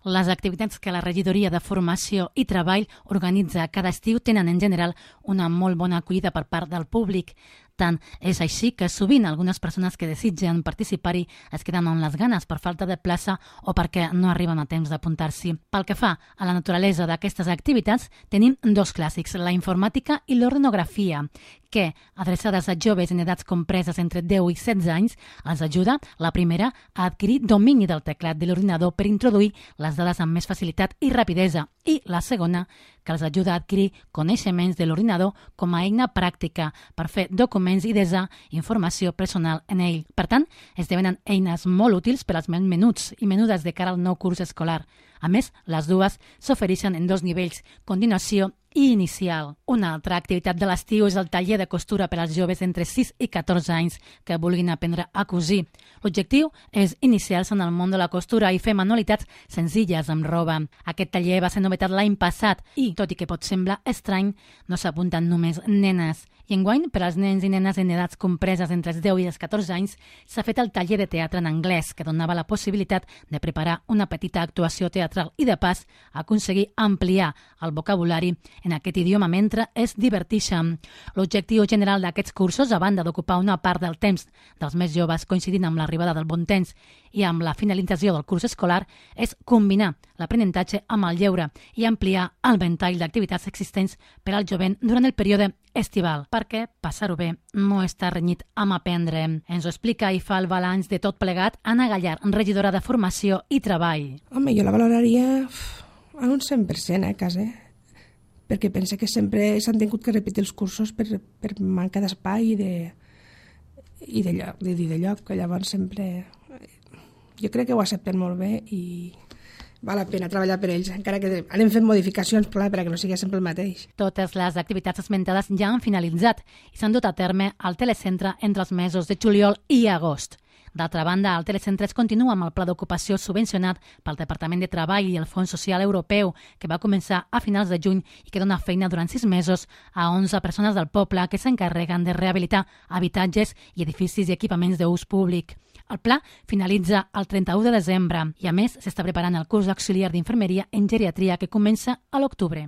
Les activitats que la Regidoria de Formació i Treball organitza cada estiu tenen en general una molt bona acollida per part del públic. Tant és així que sovint algunes persones que desitgen participar-hi es queden amb les ganes per falta de plaça o perquè no arriben a temps d'apuntar-s'hi. Pel que fa a la naturalesa d'aquestes activitats, tenim dos clàssics, la informàtica i l'ordenografia, que, adreçades a joves en edats compreses entre 10 i 16 anys, els ajuda, la primera, a adquirir domini del teclat de l'ordinador per introduir les dades amb més facilitat i rapidesa, i la segona, que els ajuda a adquirir coneixements de l'ordinador com a eina pràctica per fer documents i desar informació personal en ell. Per tant, esdevenen eines molt útils per als menuts i menudes de cara al nou curs escolar. A més, les dues s'ofereixen en dos nivells, continuació i inicial. Una altra activitat de l'estiu és el taller de costura per als joves entre 6 i 14 anys que vulguin aprendre a cosir. L'objectiu és iniciar-se en el món de la costura i fer manualitats senzilles amb roba. Aquest taller va ser novetat l'any passat i, tot i que pot semblar estrany, no s'apunten només nenes. I enguany, per als nens i nenes en edats compreses entre els 10 i els 14 anys, s'ha fet el taller de teatre en anglès, que donava la possibilitat de preparar una petita actuació teatral i, de pas, aconseguir ampliar el vocabulari en aquest idioma mentre es divertixen. L'objectiu general d'aquests cursos, a banda d'ocupar una part del temps dels més joves coincidint amb l'arribada del bon temps i amb la finalització del curs escolar, és combinar l'aprenentatge amb el lleure i ampliar el ventall d'activitats existents per al jovent durant el període estival, perquè passar-ho bé no està renyit amb aprendre. Ens ho explica i fa el balanç de tot plegat Anna Gallar, regidora de Formació i Treball. Home, jo la valoraria en un 100%, quasi, perquè pense que sempre s'han tingut que repetir els cursos per manca d'espai i de lloc, que llavors sempre... Jo crec que ho accepten molt bé i val la pena treballar per ells, encara que anem fent modificacions perquè no sigui sempre el mateix. Totes les activitats esmentades ja han finalitzat i s'han dut a terme al telecentre entre els mesos de juliol i agost. D'altra banda, el telecentre es continua amb el pla d'ocupació subvencionat pel Departament de Treball i el Fons Social Europeu, que va començar a finals de juny i que dona feina durant 6 mesos a 11 persones del poble que s'encarreguen de rehabilitar habitatges i edificis i equipaments d'ús públic. El pla finalitza el 31 de desembre i, a més, s'està preparant el curs d'auxiliar d'infermeria en geriatria que comença a l'octubre.